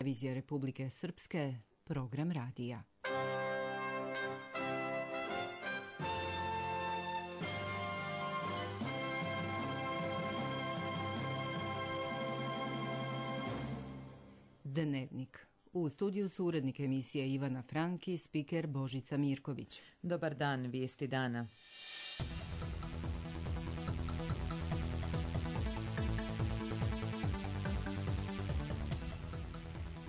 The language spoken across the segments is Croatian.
televizije Republike Srpske, program radija. Dnevnik. U studiju su urednik emisije Ivana Frank i spiker Božica Mirković. Dobar dan, vijesti dana.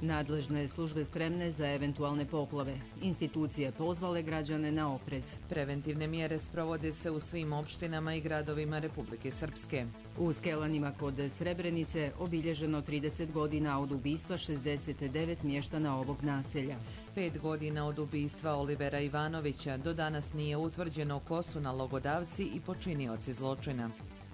Nadležne službe spremne za eventualne poplave. Institucije pozvale građane na oprez. Preventivne mjere sprovode se u svim opštinama i gradovima Republike Srpske. U Skelanima kod Srebrenice obilježeno 30 godina od ubistva 69 mještana ovog naselja. 5 godina od ubistva Olivera Ivanovića, do danas nije utvrđeno ko su nalogodavci i počinioci zločina.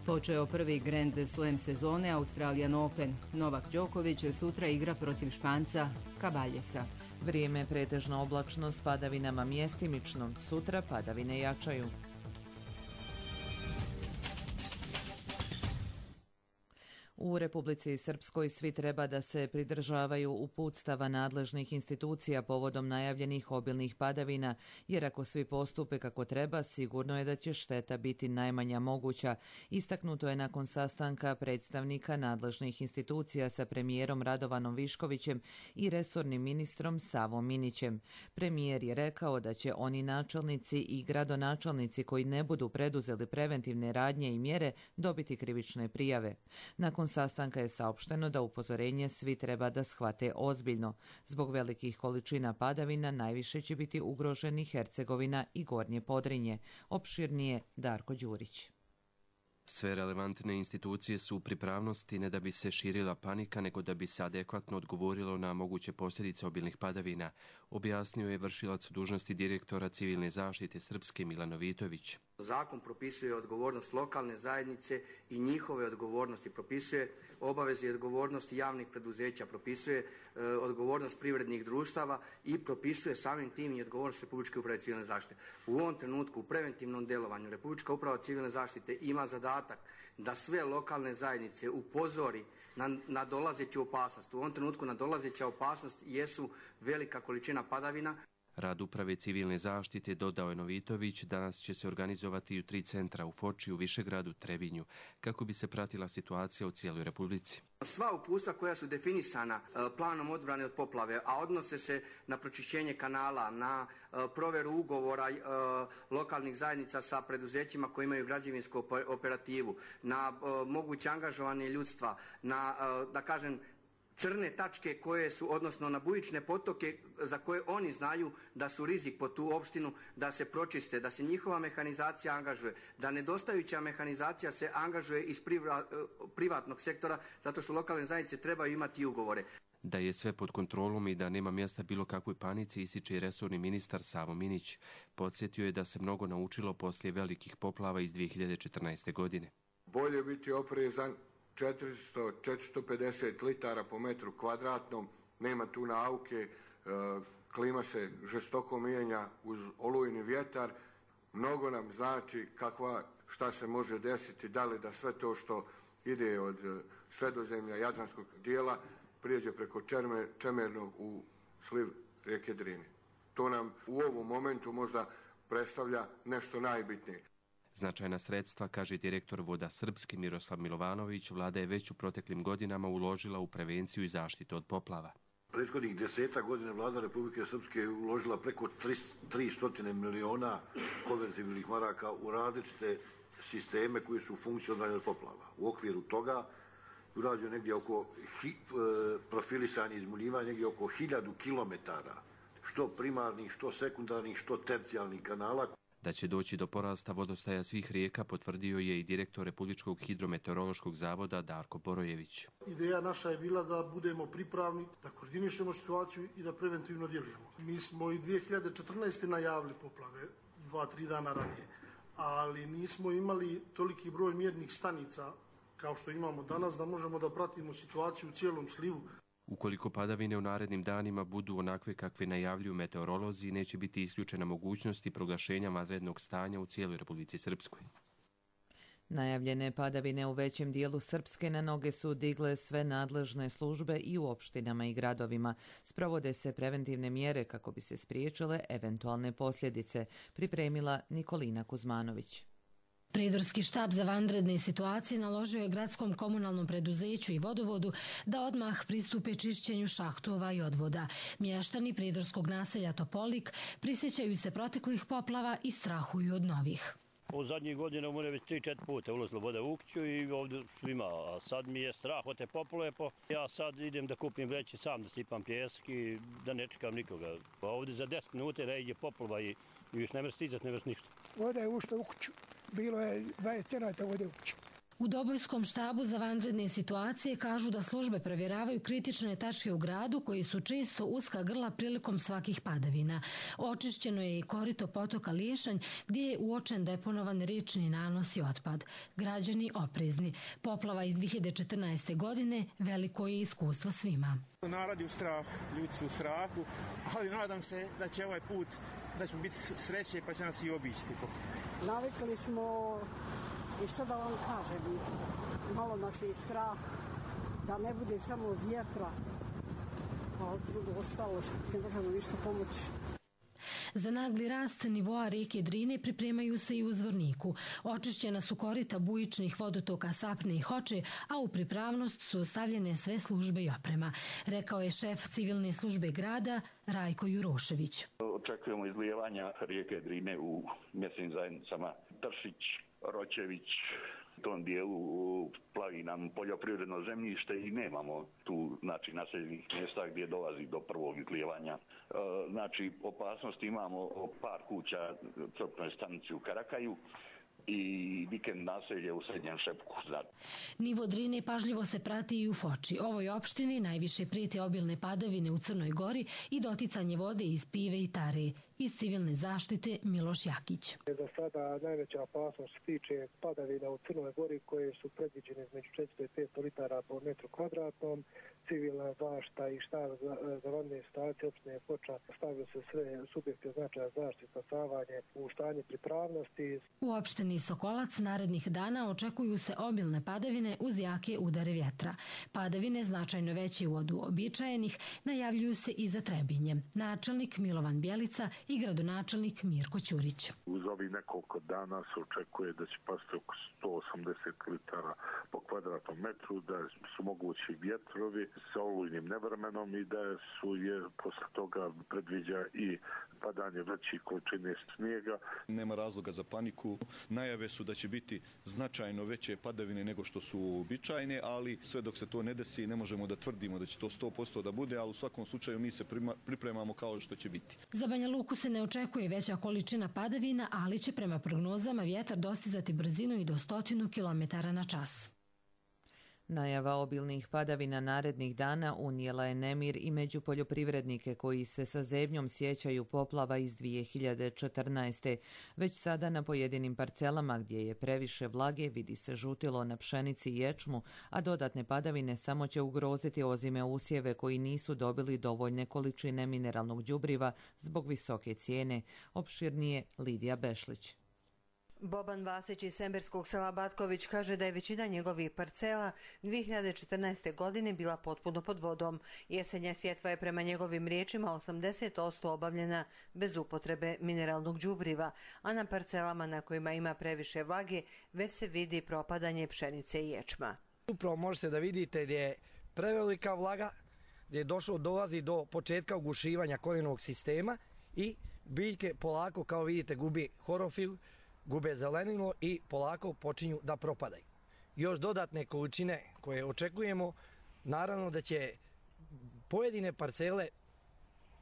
Počeo prvi Grand Slam sezone Australian Open. Novak Đoković sutra igra protiv Španca Cabaljesa. Vrijeme pretežno oblačno s padavinama mjestimično, sutra padavine jačaju. U Republici Srpskoj svi treba da se pridržavaju uputstava nadležnih institucija povodom najavljenih obilnih padavina, jer ako svi postupe kako treba, sigurno je da će šteta biti najmanja moguća. Istaknuto je nakon sastanka predstavnika nadležnih institucija sa premijerom Radovanom Viškovićem i resornim ministrom Savom Minićem. Premijer je rekao da će oni načelnici i gradonačelnici koji ne budu preduzeli preventivne radnje i mjere dobiti krivične prijave. Nakon sastanka je saopšteno da upozorenje svi treba da shvate ozbiljno. Zbog velikih količina padavina najviše će biti ugroženi Hercegovina i Gornje Podrinje. Opširnije Darko Đurić. Sve relevantne institucije su u pripravnosti ne da bi se širila panika, nego da bi se adekvatno odgovorilo na moguće posljedice obilnih padavina, objasnio je vršilac dužnosti direktora civilne zaštite Srpske Milan Novitović. Zakon propisuje odgovornost lokalne zajednice i njihove odgovornosti, propisuje obaveze i odgovornosti javnih preduzeća, propisuje odgovornost privrednih društava i propisuje samim tim i odgovornost Republičke uprave civilne zaštite. U ovom trenutku u preventivnom djelovanju Republička uprava civilne zaštite ima zadatak da sve lokalne zajednice upozori na dolazeću opasnost. U ovom trenutku nadolazeća opasnost jesu velika količina padavina. Rad uprave civilne zaštite, dodao je Novitović, danas će se organizovati u 3 centra u Foči, u Višegradu, Trebinju, kako bi se pratila situacija u cijeloj Republici. Sva uputstva koja su definisana planom odbrane od poplave, a odnose se na pročišćenje kanala, na proveru ugovora lokalnih zajednica sa preduzećima koji imaju građevinsku operativu, na moguće angažovanje ljudstva, na, da kažem, crne tačke koje su, odnosno na bujične potoke za koje oni znaju da su rizik po tu opštinu, da se pročiste, da se njihova mehanizacija angažuje, da nedostajuća mehanizacija se angažuje iz privatnog sektora, zato što lokalne zajednice trebaju imati ugovore. Da je sve pod kontrolom i da nema mjesta bilo kakvoj panici, ističe i resorni ministar Savo Minić. Podsjetio je da se mnogo naučilo poslije velikih poplava iz 2014. godine. Bolje biti oprezan, 400-450 litara po metru kvadratnom, nema tu nauke, klima se žestoko mijenja uz olujni vjetar, mnogo nam znači šta se može desiti, da li da sve to što ide od Sredozemlja, Jadranskog dijela, prijeđe preko Čemernog u sliv rijeke Drine. To nam u ovom momentu možda predstavlja nešto najbitnije. Značajna sredstva, kaže direktor Voda Srpske Miroslav Milovanović, vlada je već u proteklim godinama uložila u prevenciju i zaštitu od poplava. Prethodnih 10 godina vlada Republike Srpske je uložila preko 300 miliona konverzibilnih maraka u različite sisteme koji su funkcionalni od poplava. U okviru toga urađeno negdje oko profilisanje izmuljivanja negdje oko 1000 kilometara, što primarnih, što sekundarnih, što tercijalnih kanala. Da će doći do porasta vodostaja svih rijeka potvrdio je i direktor Republičkog hidrometeorološkog zavoda Darko Borojević. Ideja naša je bila da budemo pripravni, da koordinišemo situaciju i da preventivno djelujemo. Mi smo i 2014. najavili poplave 2-3 dana ranije, ali nismo imali toliki broj mjernih stanica kao što imamo danas da možemo da pratimo situaciju u cijelom slivu. Ukoliko padavine u narednim danima budu onakve kakve najavljuju meteorolozi, neće biti isključena mogućnost i proglašenja vanrednog stanja u cijeloj Republici Srpskoj. Najavljene padavine u većem dijelu Srpske na noge su digle sve nadležne službe i u opštinama i gradovima. Sprovode se preventivne mjere kako bi se spriječile eventualne posljedice, pripremila Nikolina Kuzmanović. Pridorski štab za vanredne situacije naložio je gradskom komunalnom preduzeću i vodovodu da odmah pristupe čišćenju šahtova i odvoda. Mještani pridorskog naselja Topolik prisjećaju se proteklih poplava i strahuju od novih. U zadnjih godina mu je već 3-4 puta ulazila voda u kuću i ovdje svima, a sad mi je strah od te poplave, ja sad idem da kupim vreće sam da sipam pjesak i da ne čekam nikoga. Pa ovdje za 10 minuta iđe poplava i još ne mreš stizat, ne mreš ništa. Voda je ušla u kuću, bilo je 20 cm vode u kuću. U Dobojskom štabu za vanredne situacije kažu da službe provjeravaju kritične tačke u gradu koji su često uska grla prilikom svakih padavina. Očišćeno je i korito potoka Liješanj gdje je uočen deponovan riječni nanos i otpad. Građani oprezni. Poplava iz 2014. godine veliko je iskustvo svima. Narod je u strahu, ljudi su u strahu, ali nadam se da će ovaj put, da ćemo biti sreće pa će nas i obići. Navikli smo. I što da vam kažem, malo nas je strah da ne bude samo vjetra, a drugo ostalo ne možemo ništa pomoći. Za nagli rast nivoa rijeke Drine pripremaju se i u Zvorniku. Očišćena su korita bujičnih vodotoka Sapne i Hoče, a u pripravnost su stavljene sve službe i oprema, rekao je šef civilne službe grada Rajko Jurošević. Očekujemo izlijevanja rijeke Drine u mjesnim zajednicama Tršić, Ročević, u tom dijelu plavi nam poljoprivredno zemljište i nemamo tu naseljenih mjesta gdje dolazi do prvog izlijevanja. Znači, opasnost imamo par kuća crpnoj stanici u Karakaju i vikend naselje u Srednjem Šepku. Nivo Drine pažljivo se prati i u Foči. Ovoj opštini najviše prijete obilne padavine u Crnoj Gori i doticanje vode iz Pive i Tare. Iz civilne zaštite Miloš Jakić. Za sada najveća opasnost se tiče padavina u Crnoj Gori koje su predviđene između 400 i 500 litara po metru kvadratnom. Civilna zaštita i štab za vanredne situacije opštine Foča stavio se sve subjekte značaja zaštite spasavanje u stanje pripravnosti. U opštini Sokolac narednih dana očekuju se obilne padavine uz jake udare vjetra. Padavine značajno veće od uobičajenih najavljuju se i za Trebinje. Načelnik Milovan Bjelica i gradonačelnik Mirko Ćurić. Uz ovih nekoliko dana se očekuje da će pasti oko 180 litara po kvadratnom metru, da su mogući vjetrovi sa olujnim nevremenom i da posle toga predviđa i padanje većih količine snijega. Nema razloga za paniku. Najave su da će biti značajno veće padavine nego što su uobičajene, ali sve dok se to ne desi ne možemo da tvrdimo da će to 100% da bude, ali u svakom slučaju mi se pripremamo kao što će biti. Za Banja Luku se ne očekuje veća količina padavina, ali će prema prognozama vjetar dostizati brzinu i do 100 km/h. Najava obilnih padavina narednih dana unijela je nemir i među poljoprivrednike koji se sa zebnjom sjećaju poplava iz 2014. Već sada na pojedinim parcelama gdje je previše vlage vidi se žutilo na pšenici i ječmu, a dodatne padavine samo će ugroziti ozime usjeve koji nisu dobili dovoljne količine mineralnog đubriva zbog visoke cijene. Opširnije Lidija Bešlić. Boban Vasić iz Semberskog sela Batković kaže da je većina njegovih parcela 2014. godine bila potpuno pod vodom. Jesenja sjetva je prema njegovim riječima 80% obavljena bez upotrebe mineralnog đubriva, a na parcelama na kojima ima previše vlage već se vidi propadanje pšenice i ječma. Upravo možete da vidite gdje je prevelika vlaga, gdje je dolazi do početka ugušivanja korijenovog sistema i biljke polako, kao vidite, gubi horofil, gube zelenilo i polako počinju da propadaju. Još dodatne količine koje očekujemo, naravno da će pojedine parcele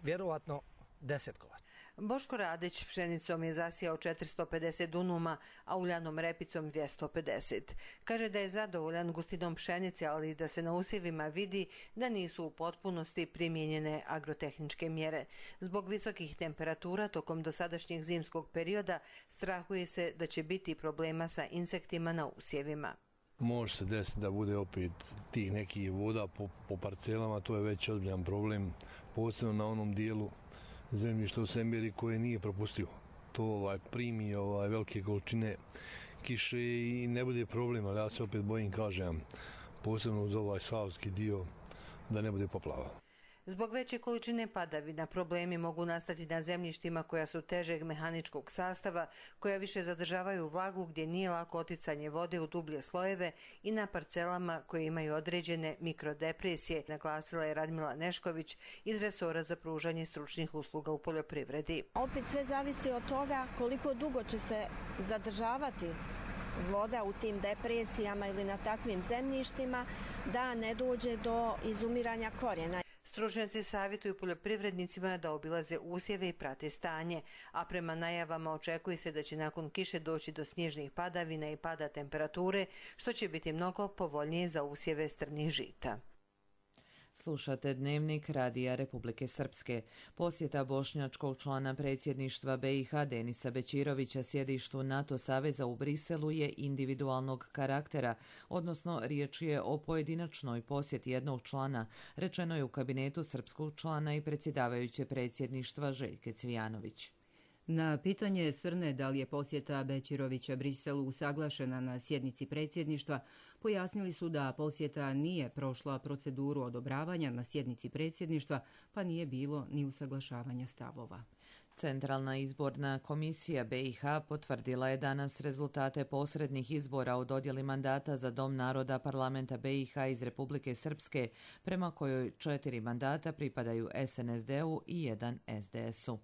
vjerovatno desetkovati. Boško Radić pšenicom je zasijao 450 dunuma, a uljanom repicom 250. Kaže da je zadovoljan gustinom pšenice, ali da se na usjevima vidi da nisu u potpunosti primijenjene agrotehničke mjere. Zbog visokih temperatura tokom dosadašnjeg zimskog perioda strahuje se da će biti problema sa insektima na usjevima. Može se desiti da bude opet tih nekih voda po parcelama, to je već ozbiljan problem, posebno na onom dijelu zemljišta u Semberi koje nije propustio. To primi velike količine kiše i ne bude problem, ali ja se opet bojim, kažem, posebno uz ovaj savski dio, da ne bude poplava. Zbog veće količine padavina problemi mogu nastati na zemljištima koja su težeg mehaničkog sastava, koja više zadržavaju vlagu gdje nije lako oticanje vode u dublje slojeve i na parcelama koje imaju određene mikrodepresije, naglasila je Radmila Nešković iz resora za pružanje stručnih usluga u poljoprivredi. Opet sve zavisi od toga koliko dugo će se zadržavati voda u tim depresijama ili na takvim zemljištima da ne dođe do izumiranja korijena. Stručnjaci savjetuju poljoprivrednicima da obilaze usjeve i prate stanje, a prema najavama očekuje se da će nakon kiše doći do snježnih padavina i pada temperature, što će biti mnogo povoljnije za usjeve strnih žita. Slušate Dnevnik Radija Republike Srpske. Posjeta bošnjačkog člana predsjedništva BiH Denisa Bećirovića sjedištu NATO saveza u Briselu je individualnog karaktera, odnosno riječ je o pojedinačnoj posjeti jednog člana, rečeno je u kabinetu srpskog člana i predsjedavajuće predsjedništva Željke Cvijanović. Na pitanje Srne da li je posjeta Bećirovića Briselu usaglašena na sjednici predsjedništva, pojasnili su da posjeta nije prošla proceduru odobravanja na sjednici predsjedništva, pa nije bilo ni usaglašavanja stavova. Centralna izborna komisija BiH potvrdila je danas rezultate posrednih izbora o dodjeli mandata za Dom naroda parlamenta BiH iz Republike Srpske, prema kojoj 4 mandata pripadaju SNSD-u i 1 SDS-u.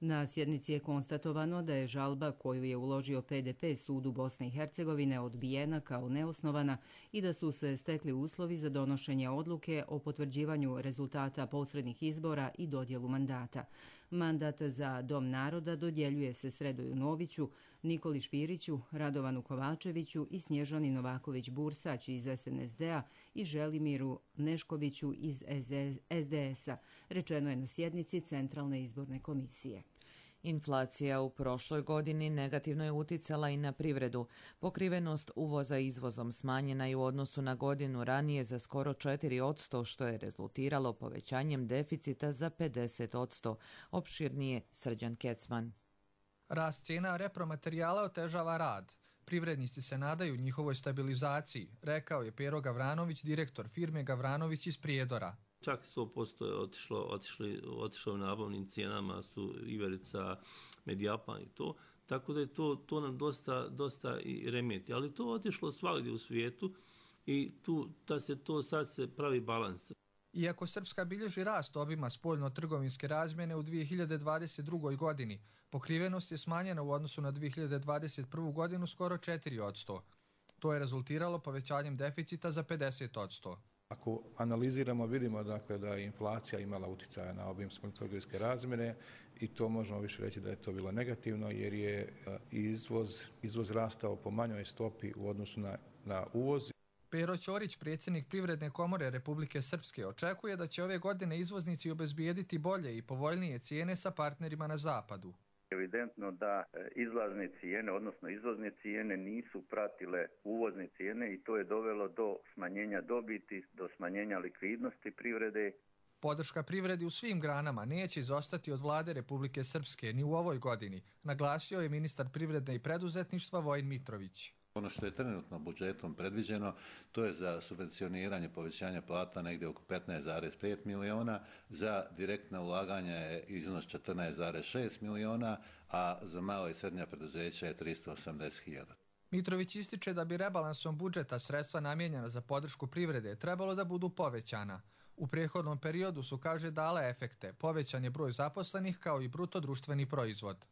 Na sjednici je konstatovano da je žalba koju je uložio PDP sudu Bosne i Hercegovine odbijena kao neosnovana i da su se stekli uslovi za donošenje odluke o potvrđivanju rezultata posrednih izbora i dodjelu mandata. Mandat za Dom naroda dodjeljuje se Sredoju Noviću, Nikoli Špiriću, Radovanu Kovačeviću i Snježani Novaković-Bursać iz SNSD-a i Želimiru Neškoviću iz SDS-a, rečeno je na sjednici Centralne izborne komisije. Inflacija u prošloj godini negativno je uticala i na privredu. Pokrivenost uvoza izvozom smanjena je u odnosu na godinu ranije za skoro 4%, što je rezultiralo povećanjem deficita za 50%. Opširnije Srđan Kecman. Rast cijena repromaterijala otežava rad. Privrednici se nadaju njihovoj stabilizaciji, rekao je Pero Gavranović, direktor firme Gavranović iz Prijedora. Čak 100% je otišlo u nabavnim cijenama, su iverica, Medijapan i to. Tako da je to nam dosta i remeti. Ali to otišlo svagdje u svijetu i sad se pravi balans. Iako Srpska bilježi rast obima spoljno-trgovinske razmjene u 2022. godini, pokrivenost je smanjena u odnosu na 2021. godinu skoro 4%. To je rezultiralo povećanjem deficita za 50%. Ako analiziramo, vidimo dakle da je inflacija imala utjecaja na obim spoljno-trgovinske razmjene i to možemo više reći da je to bilo negativno jer je izvoz rastao po manjoj stopi u odnosu na uvoz. Pero Ćorić, predsjednik Privredne komore Republike Srpske, očekuje da će ove godine izvoznici obezbijediti bolje i povoljnije cijene sa partnerima na zapadu. Evidentno da izlazne cijene, odnosno izvozne cijene nisu pratile uvozne cijene i to je dovelo do smanjenja dobiti, do smanjenja likvidnosti privrede. Podrška privredi u svim granama neće izostati od vlade Republike Srpske ni u ovoj godini, naglasio je ministar privrede i preduzetništva Vojin Mitrović. Ono što je trenutno budžetom predviđeno, to je za subvencioniranje povećanja plata negdje oko 15,5 miliona, za direktna ulaganja je iznos 14,6 miliona, a za malo i srednja preduzeća je 380.000. Mitrović ističe da bi rebalansom budžeta sredstva namijenjena za podršku privrede trebalo da budu povećana. U prethodnom periodu su, kaže, dale efekte, povećan je broj zaposlenih kao i bruto društveni proizvod.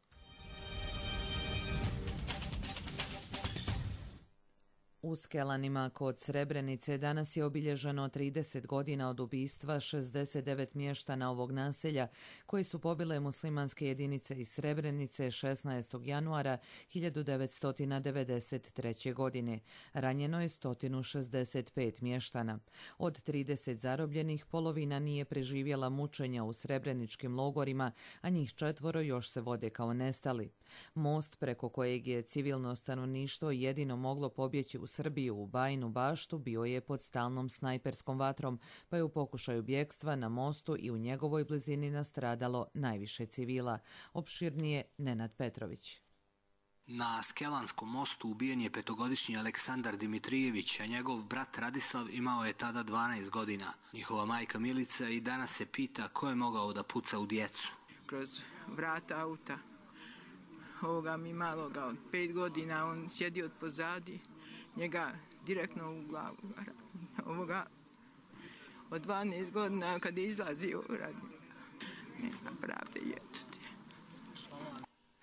U Skelanima kod Srebrenice danas je obilježeno 30 godina od ubistva 69 mještana ovog naselja koji su pobile muslimanske jedinice iz Srebrenice 16. januara 1993. godine. Ranjeno je 165 mještana. Od 30 zarobljenih polovina nije preživjela mučenja u srebreničkim logorima, a njih 4 još se vode kao nestali. Most preko kojeg je civilno stanovništvo jedino moglo pobjeći u Srbiju u Bajinu Baštu bio je pod stalnom snajperskom vatrom, pa je u pokušaju bjegstva na mostu i u njegovoj blizini nastradalo najviše civila. Opširnije Nenad Petrović. Na Skelanskom mostu ubijen je 5-godišnji Aleksandar Dimitrijević, a njegov brat Radislav imao je tada 12 godina. Njihova majka Milica i danas se pita ko je mogao da puca u djecu. Kroz vrata auta ovoga mi maloga od 5 godina, on sjedi od pozadi, njega direktno u glavu. Ovoga od 12 godina kad je izlazio radi. Nema pravde djeteti.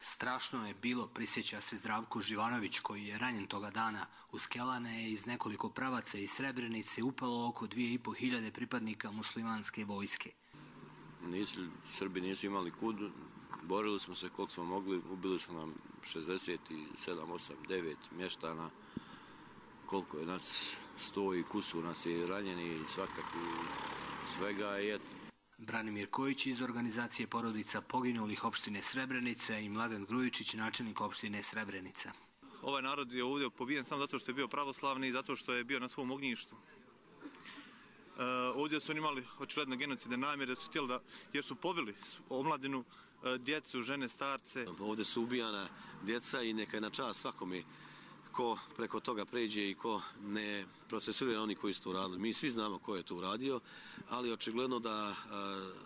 Strašno je bilo, prisjeća se Zdravko Živanović, koji je ranjen toga dana. U Skelane je iz nekoliko pravaca iz Srebrenice upalo oko 2500 pripadnika muslimanske vojske. Srbi nisu imali kud, borili smo se koliko smo mogli, ubili su nam 67, 8, 9 mještana, koliko je nas 100 i kusur nas je ranjeni i svakako svega je. Branimir Kojić iz organizacije porodica poginulih opštine Srebrenica i Mladen Grujičić, načelnik opštine Srebrenica. Ovaj narod je ovdje pobijen samo zato što je bio pravoslavni i zato što je bio na svom ognjištu. Ovdje su oni imali očigledno genocide namjere, su htjeli da, jer su pobili omladinu, djecu, žene, starce. Ovdje su ubijana djeca i neka je na čast svakome ko preko toga pređe i ko ne procesuira oni koji su to uradili. Mi svi znamo ko je to uradio, ali očigledno da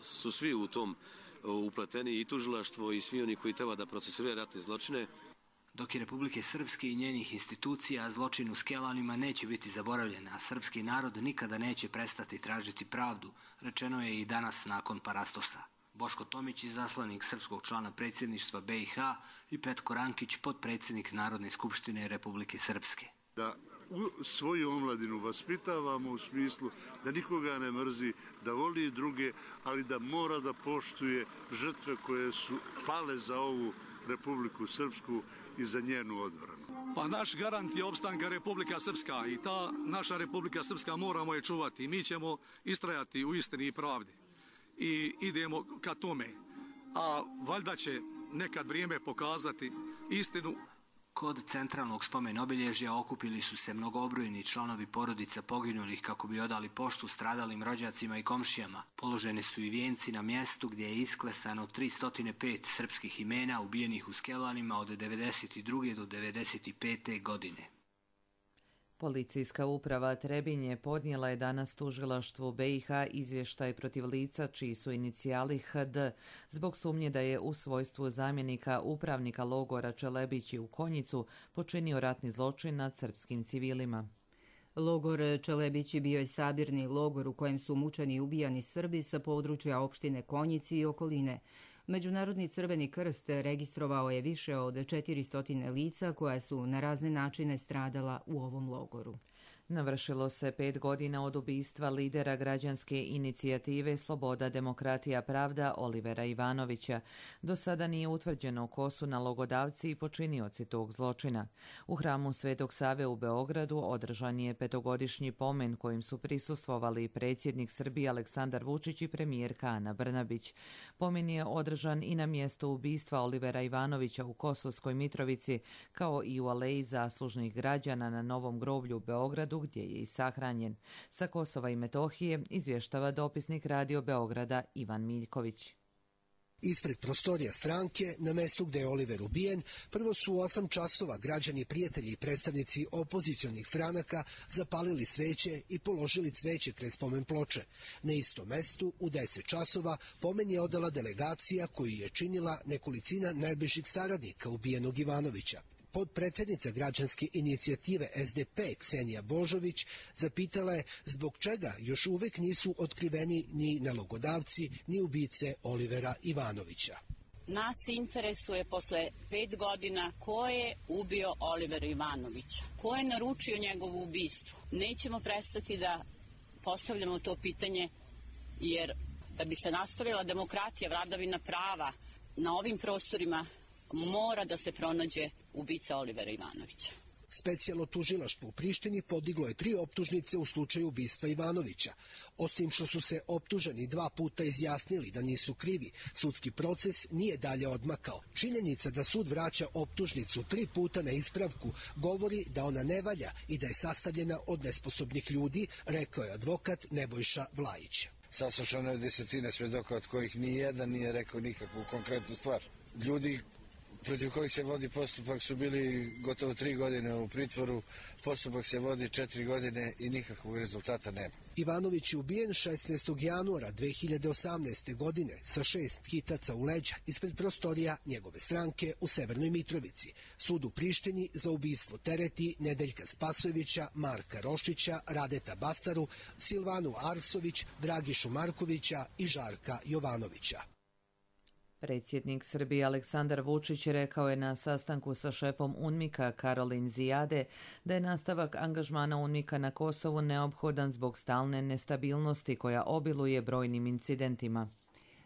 su svi u tom upleteni i tužilaštvo i svi oni koji treba da procesuiraju ratne zločine. Dok je Republike Srpske i njenih institucija, zločin u Skelanima neće biti zaboravljen, a srpski narod nikada neće prestati tražiti pravdu, rečeno je i danas nakon Parastosa. Boško Tomić, izaslanik srpskog člana predsjedništva BiH, i Petko Rankić, potpredsjednik Narodne skupštine Republike Srpske. Da svoju omladinu vaspitavamo u smislu da nikoga ne mrzi, da voli druge, ali da mora da poštuje žrtve koje su pale za ovu Republiku Srpsku i za njenu odbranu. Pa naš garant je opstanka Republika Srpska i ta naša Republika Srpska moramo je čuvati i mi ćemo istrajati u istini i pravdi. I idemo ka tome. A valjda će nekad vrijeme pokazati istinu. Kod centralnog spomen obilježja okupili su se mnogobrojni članovi porodica poginulih kako bi odali poštu stradalim rođacima i komšijama. Položeni su i vijenci na mjestu gdje je isklesano 305 srpskih imena ubijenih u Skelanima od 1992. do 1995. godine. Policijska uprava Trebinje podnijela je danas tužilaštvu BiH izvještaj protiv lica čiji su inicijali HD zbog sumnje da je u svojstvu zamjenika upravnika logora Čelebići u Konjicu počinio ratni zločin nad srpskim civilima. Logor Čelebići bio je sabirni logor u kojem su mučeni i ubijani Srbi sa područja opštine Konjici i okoline. Međunarodni Crveni krst registrovao je više od 400 lica koja su na razne načine stradala u ovom logoru. Navršilo se 5 godina od ubistva lidera građanske inicijative Sloboda, demokratija, pravda Olivera Ivanovića. Do sada nije utvrđeno ko su nalogodavci i počinioci tog zločina. U hramu Svetog Save u Beogradu održan je 5-godišnji pomen kojim su prisustvovali predsjednik Srbije Aleksandar Vučić i premijerka Ana Brnabić. Pomen je održan i na mjesto ubistva Olivera Ivanovića u Kosovskoj Mitrovici, kao i u aleji zaslužnih građana na Novom groblju u Beogradu, gdje je i sahranjen. Sa Kosova i Metohije izvještava dopisnik Radio Beograda Ivan Miljković. Ispred prostorija stranke, na mjestu gdje je Oliver ubijen, prvo su u 8 časova građani, prijatelji i predstavnici opozicionih stranaka zapalili sveće i položili cveće kraj spomen ploče. Na istom mjestu, u 10 časova, pomen je odala delegacija koju je činila nekolicina najbližih saradnika ubijenog Ivanovića. Podpredsjednica građanske inicijative SDP Ksenija Božović zapitala je zbog čega još uvijek nisu otkriveni ni nalogodavci ni ubice Olivera Ivanovića. Nas interesuje posle 5 godina ko je ubio Olivera Ivanovića, ko je naručio njegovo ubistvo. Nećemo prestati da postavljamo to pitanje, jer da bi se nastavila demokratija, vladavina prava na ovim prostorima, mora da se pronađe ubica Olivera Ivanovića. Specijalno tužilaštvo u Prištini podiglo je 3 optužnice u slučaju ubistva Ivanovića. Osim što su se optuženi 2 puta izjasnili da nisu krivi, sudski proces nije dalje odmakao. Činjenica da sud vraća optužnicu 3 puta na ispravku govori da ona ne valja i da je sastavljena od nesposobnih ljudi, rekao je advokat Nebojša Vlajić. Saslušano je desetine svedoka od kojih ni jedan nije rekao nikakvu konkretnu stvar. Ljudi protiv kojih se vodi postupak su bili gotovo 3 godine u pritvoru. Postupak se vodi 4 godine i nikakvog rezultata nema. Ivanović je ubijen 16. januara 2018. godine sa 6 hitaca u leđa ispred prostorija njegove stranke u Severnoj Mitrovici. Sud u Prištini za ubistvo tereti Nedeljka Spasojevića, Marka Rošića, Radeta Basaru, Silvanu Arsović, Dragišu Markovića i Žarka Jovanovića. Predsjednik Srbije Aleksandar Vučić rekao je na sastanku sa šefom UNMIK-a Karolin Zijade da je nastavak angažmana UNMIK-a na Kosovu neophodan zbog stalne nestabilnosti koja obiluje brojnim incidentima.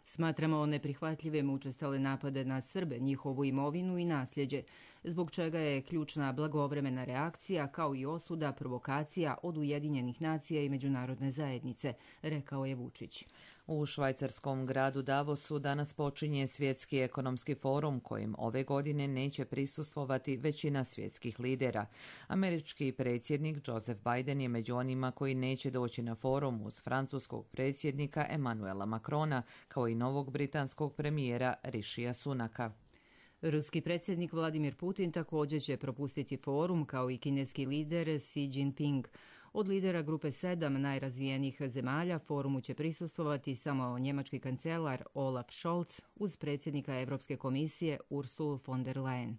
Smatramo neprihvatljivim učestale napade na Srbe, njihovu imovinu i nasljeđe, zbog čega je ključna blagovremena reakcija kao i osuda provokacija od Ujedinjenih nacija i međunarodne zajednice, rekao je Vučić. U švajcarskom gradu Davosu danas počinje Svjetski ekonomski forum kojim ove godine neće prisustvovati većina svjetskih lidera. Američki predsjednik Joseph Biden je među onima koji neće doći na forum uz francuskog predsjednika Emmanuela Macrona kao i novog britanskog premijera Rishija Sunaka. Ruski predsjednik Vladimir Putin također će propustiti forum kao i kineski lider Xi Jinping. Od lidera grupe 7 najrazvijenijih zemalja forumu će prisustvovati samo njemački kancelar Olaf Scholz uz predsjednika Europske komisije Ursulu von der Leyen.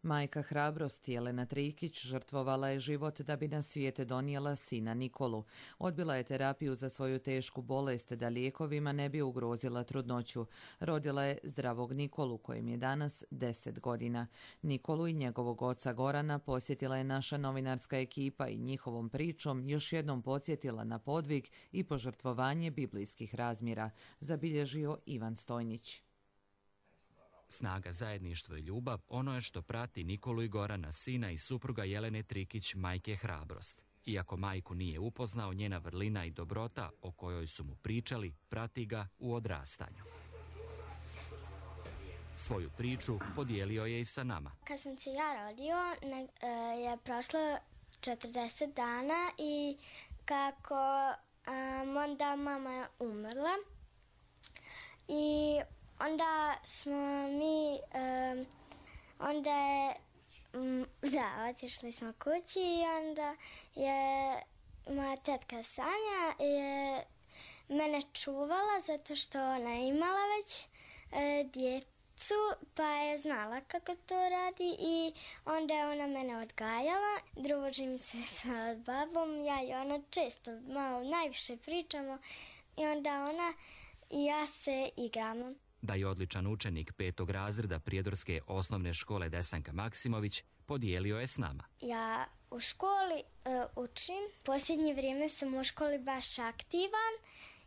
Majka hrabrosti Jelena Trikić žrtvovala je život da bi na svijet donijela sina Nikolu. Odbila je terapiju za svoju tešku bolest da lijekovima ne bi ugrozila trudnoću. Rodila je zdravog Nikolu kojem je danas 10 godina. Nikolu i njegovog oca Gorana posjetila je naša novinarska ekipa i njihovom pričom još jednom podsjetila na podvig i požrtvovanje biblijskih razmjera, zabilježio Ivan Stojnić. Snaga, zajedništvo i ljubav, ono je što prati Nikolu i Gorana, sina i supruga Jelene Trikić, majke Hrabrost. Iako majku nije upoznao, njena vrlina i dobrota o kojoj su mu pričali, prati ga u odrastanju. Svoju priču podijelio je i sa nama. Kad sam se ja rodio, je prošlo 40 dana i kako onda mama je umrla i onda smo mi, onda je, otišli smo kući i onda je moja tetka Sanja je mene čuvala zato što ona je imala već djecu pa je znala kako to radi i onda je ona mene odgajala. Družim se sa babom, ja i ona često malo najviše pričamo i onda ona i ja se igramo. Da je odličan učenik 5. razreda Prijedorske osnovne škole Desanka Maksimović, podijelio je s nama. Ja u školi učim. Posljednje vrijeme sam u školi baš aktivan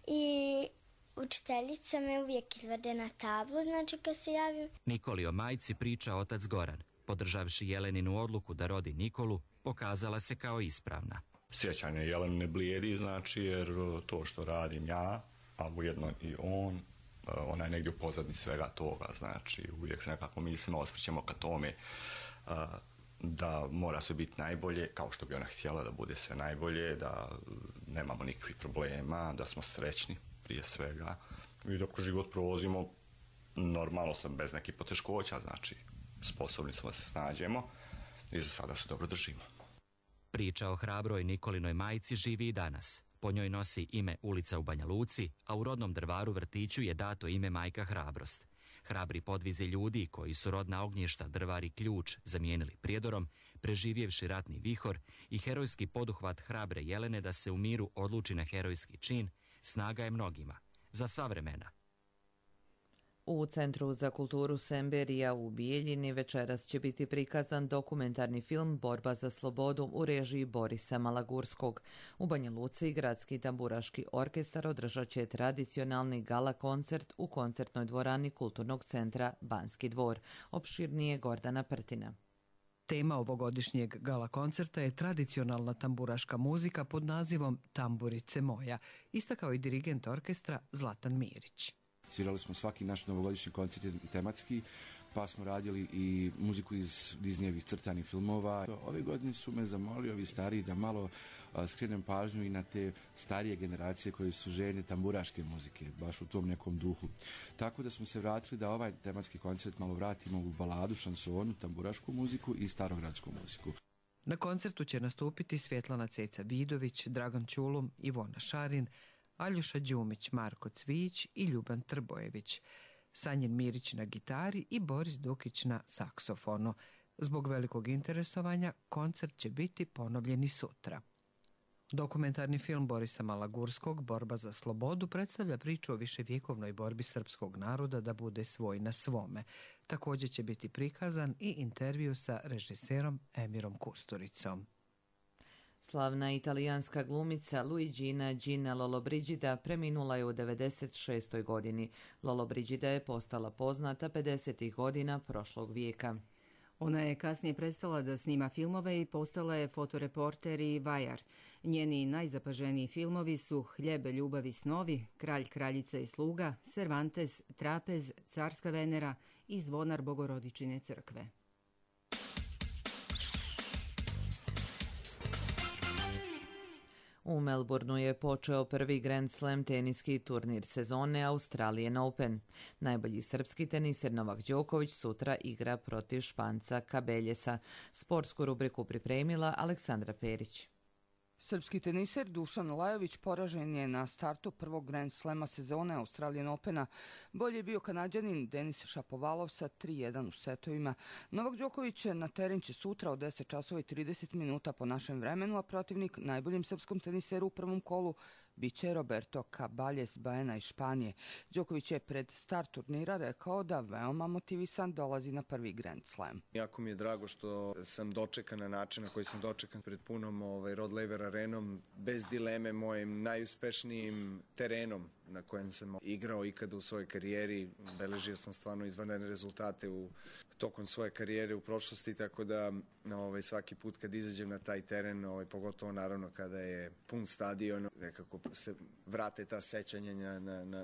i učiteljica me uvijek izvede na tablu, znači kad se javim. Nikoli o majci priča otac Goran. Podržavši Jeleninu odluku da rodi Nikolu, pokazala se kao ispravna. Sjećanje Jelene ne blijedi, znači jer to što radim ja, a ujedno i on, ona je negdje u pozadini svega toga, znači uvijek se nekako mislimo, osvrćemo ka tome da mora sve biti najbolje, kao što bi ona htjela da bude sve najbolje, da nemamo nikakvih problema, da smo srećni prije svega i dok život provozimo normalno sam bez nekih poteškoća, znači sposobni smo da se snađemo i za sada se dobro držimo. Priča o hrabroj Nikolinoj majci živi i danas. Po njoj nosi ime ulica u Banja Luci, a u rodnom Drvaru vrtiću je dato ime Majka Hrabrost. Hrabri podvizi ljudi koji su rodna ognjišta Drvar i Ključ zamijenili Prijedorom, preživjevši ratni vihor i herojski poduhvat hrabre Jelene da se u miru odluči na herojski čin, snaga je mnogima, za sva vremena. U Centru za kulturu Semberija u Bijeljini večeras će biti prikazan dokumentarni film Borba za slobodu u režiji Borisa Malagurskog. U Banja Luci Gradski tamburaški orkestar održat će tradicionalni gala koncert u koncertnoj dvorani Kulturnog centra Banski dvor. Opširnije Gordana Prtina. Tema ovogodišnjeg gala koncerta je tradicionalna tamburaška muzika pod nazivom Tamburice moja, istakao i dirigent orkestra Zlatan Mirić. Svirali smo svaki naš novogodišnji koncert tematski, pa smo radili i muziku iz Disneyevih crtanih filmova. Ove godine su me zamolili ovi stariji da malo skrenem pažnju i na te starije generacije koje su željne tamburaške muzike, baš u tom nekom duhu. Tako da smo se vratili da ovaj tematski koncert malo vratimo u baladu, šansonu, tamburašku muziku i starogradsku muziku. Na koncertu će nastupiti Svjetlana Ceca Vidović, Dragan Ćulum, Ivona Šarin, Aljoša Đumić, Marko Cvijić i Ljuban Trbojević, Sanjin Mirić na gitari i Boris Dukić na saksofonu. Zbog velikog interesovanja koncert će biti ponovljeni sutra. Dokumentarni film Borisa Malagurskog Borba za slobodu predstavlja priču o viševjekovnoj borbi srpskog naroda da bude svoj na svome. Također će biti prikazan i intervju sa režiserom Emirom Kusturicom. Slavna italijanska glumica Luigina Gina Lollobrigida preminula je u 96. godini. Lollobrigida je postala poznata 50. godina prošlog vijeka. Ona je kasnije prestala da snima filmove i postala je fotoreporter i vajar. Njeni najzapaženiji filmovi su Hljeb, ljubav i snovi, Kralj, kraljica i sluga, Cervantes, Trapez, Carska Venera i Zvonar Bogorodičine crkve. U Melbourneu je počeo prvi Grand Slam teniski turnir sezone Australian Open. Najbolji srpski teniser Novak Đoković sutra igra protiv Španca Cabeljesa. Sportsku rubriku pripremila Aleksandra Perić. Srpski teniser Dušan Lajović poražen je na startu prvog Grand Slema sezone Australian Opena. Bolji je bio Kanađanin Denis Šapovalov sa 3-1 u setovima. Novak Đoković na teren će sutra od 10 časova i 30 minuta po našem vremenu, a protivnik najboljim srpskom teniseru u prvom kolu biće Roberto Caballes Baena iz Španije. Đoković je pred start turnira rekao da veoma motivisan dolazi na prvi Grand Slam. Jako mi je drago što sam dočekan na način na koji sam dočekan pred punom Rod Laver arenom, bez dileme mojim najuspešnijim terenom na kojem sam igrao ikada u svojoj karijeri. Beležio sam stvarno izvanredne rezultate tokom svoje karijere u prošlosti, tako da svaki put kad izađem na taj teren, pogotovo naravno kada je pun stadion, nekako se vrate ta sećanja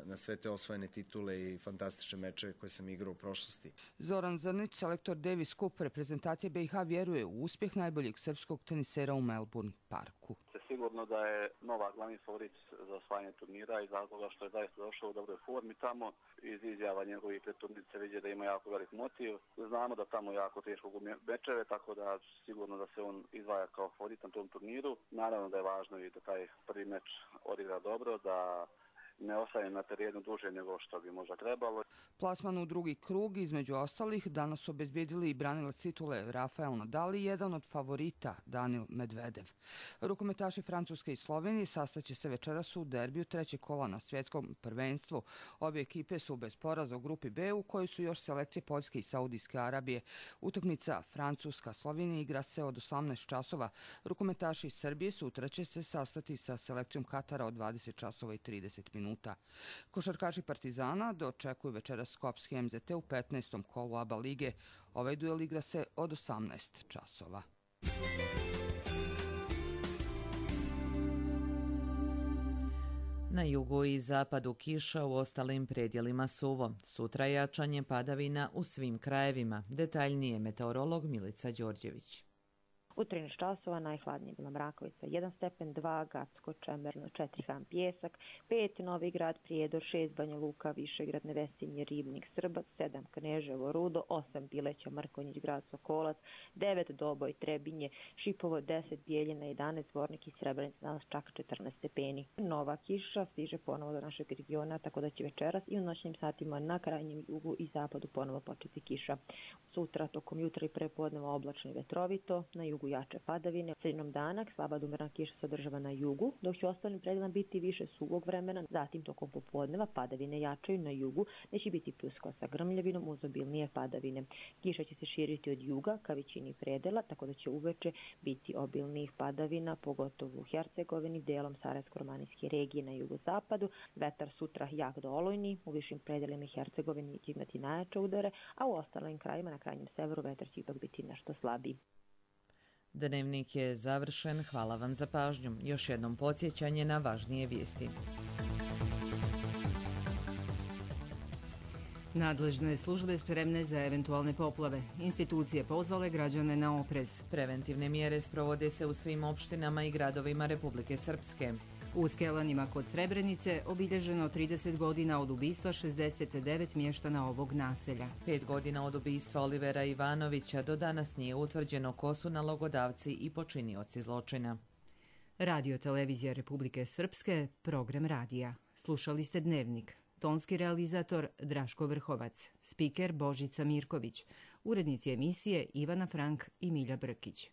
na sve te osvojene titule i fantastične mečeve koje sam igrao u prošlosti. Zoran Zrnić, selektor Davis Cup reprezentacije BiH, vjeruje u uspjeh najboljeg srpskog tenisera u Melbourne parku. Sigurno da je Novak glavni favorit za osvajanje turnira iz razloga što je zaista došao u dobroj formi tamo. Iz izjava njegovih pred turnice vidje da ima jako velik motiv. Znamo da tamo jako teško gubi mečeve, tako da sigurno da se on izdvaja kao favorit na tom turniru. Naravno da je važno i da taj prvi meč odigra dobro, da ne ostaje na terenu duže nego što bi možda trebalo. Plasman u drugi krug između ostalih danas su obezbedili i branilac titule Rafael Nadal i jedan od favorita Danil Medvedev. Rukometaši Francuske i Slovenije sastaće se večeras u derbiju trećeg kola na svjetskom prvenstvu. Obje ekipe su bez poraza u grupi B u kojoj su još selekcije Poljske i Saudijske Arabije. Utakmica Francuska-Slovenija igra se od 18 časova. Rukometaši iz Srbije sutra će se sastati sa selekcijom Katara od 20 časova i 30 minuta. Košarkaši Partizana dočekuju večeras Skopski MZT u 15. kolu ABA lige. Ovaj duel igra se od 18 časova. Na jugu i zapadu kiša, u ostalim predjelima suvo. Sutra jačanje padavina u svim krajevima. Detaljnije meteorolog Milica Đorđević. U 13 časova najhladnije bila Mrakovica 1 stepen, 2 Gacko, Čemerno, 4 Han Pjesak, 5 Novi Grad, Prijedor, 6 Banja Luka, Višegrad, Nevesinje, Ribnik, Srbac, 7 Kneževo, Rudo, 8 Bileća, Mrkonjić, Grad Sokolac, 9 Doboj, Trebinje, Šipovo, 10 Bijeljina, 11 Zvornik i Srebrenica, danas čak 14 stepeni. Nova kiša stiže ponovo do našeg regiona, tako da će večeras i u noćnim satima na krajnjem jugu i zapadu ponovo početi kiša. Sutra tokom jutra i prepodneva oblačno i vetrovito, na jugu jače padavine. Sredinom dana slaba umerena kiša se održava na jugu, dok će u ostalim predelima biti više suvog vremena. Zatim tokom popodneva padavine jačaju na jugu, gdje će biti pljuskova sa grmljavinom uz obilnije padavine. Kiša će se širiti od juga ka većini predela, tako da će uveče biti obilnih padavina, pogotovo u Hercegovini, delom Sarajevsko-romanijske regije na jugozapadu. Vetar sutra jak do olujni, u višim predelima Hercegovini će imati najjače udare, a u ostalim krajima na krajnjem severu vetar će ipak biti nešto slabiji. Dnevnik je završen. Hvala vam za pažnju. Još jednom podsjećanje na važnije vijesti. Nadležne službe spremne za eventualne poplave. Institucije pozvale građane na oprez. Preventivne mjere sprovode se u svim opštinama i gradovima Republike Srpske. U Skelanima kod Srebrenice obilježeno 30 godina od ubistva 69 mještana ovog naselja. 5 godina od ubistva Olivera Ivanovića do danas nije utvrđeno ko su nalogodavci i počinioci zločina. Radio Televizija Republike Srpske, program radija. Slušali ste Dnevnik. Tonski realizator Draško Vrhovac, spiker Božica Mirković, urednici emisije Ivana Frank i Milja Brkić.